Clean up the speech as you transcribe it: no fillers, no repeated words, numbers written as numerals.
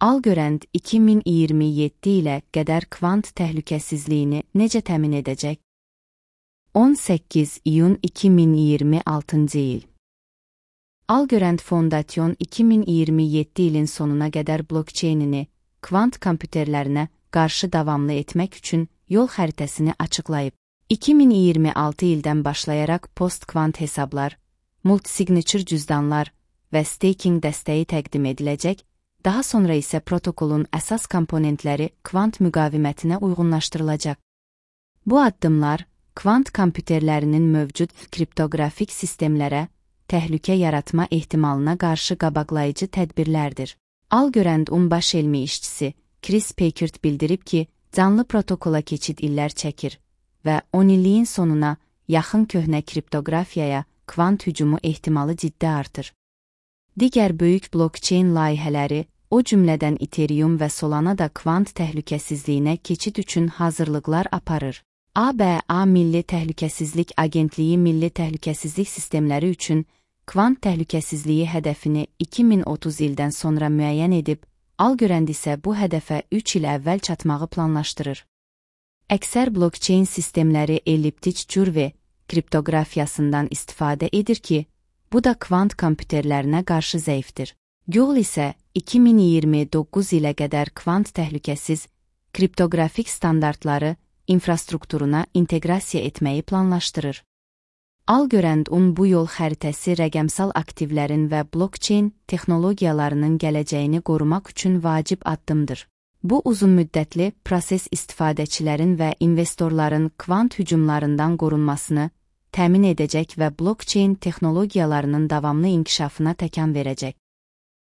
Algorand 2027 ilə qədər kvant təhlükəsizliyini necə təmin edəcək? 18 iyun 2026 il. Algorand Fondation 2027 ilin sonuna qədər blokçeynini kvant kompüterlərinə qarşı davamlı etmək üçün yol xəritəsini açıqlayıb. 2026 ildən başlayaraq post-kvant hesablar, multisignature cüzdanlar və staking dəstəyi təqdim ediləcək, daha sonra isə protokolun əsas komponentləri kvant müqavimətinə uyğunlaşdırılacaq. Bu addımlar, kvant kompüterlərinin mövcud kriptoqrafik sistemlərə təhlükə yaratma ehtimalına qarşı qabaqlayıcı tədbirlərdir. Algorand-un baş elmi işçisi Chris Packard bildirib ki, canlı protokola keçid illər çəkir və 10 illiyin sonuna yaxın köhnə kriptoqrafiyaya kvant hücumu ehtimalı ciddi artır. Digər böyük blokçeyn layihələri, o cümlədən Ethereum və Solana da kvant təhlükəsizliyinə keçid üçün hazırlıqlar aparır. ABA Milli Təhlükəsizlik Agentliyi Milli Təhlükəsizlik Sistemləri üçün kvant təhlükəsizliyi hədəfini 2030 ildən sonra müəyyən edib, Algorand isə bu hədəfə 3 il əvvəl çatmağı planlaşdırır. Əksər blokçeyn sistemləri elliptik curve kriptoqrafiyasından istifadə edir ki, bu da kvant kompüterlərinə qarşı zəifdir. Google isə 2029 ilə qədər kvant təhlükəsiz kriptoqrafik standartları infrastrukturuna inteqrasiya etməyi planlaşdırır. Algorand-un bu yol xəritəsi rəqəmsal aktivlərin və blokçeyn texnologiyalarının gələcəyini qorumaq üçün vacib addımdır. Bu uzunmüddətli proses istifadəçilərin və investorların kvant hücumlarından qorunmasını təmin edəcək və blokçeyn texnologiyalarının davamlı inkişafına təkan verəcək.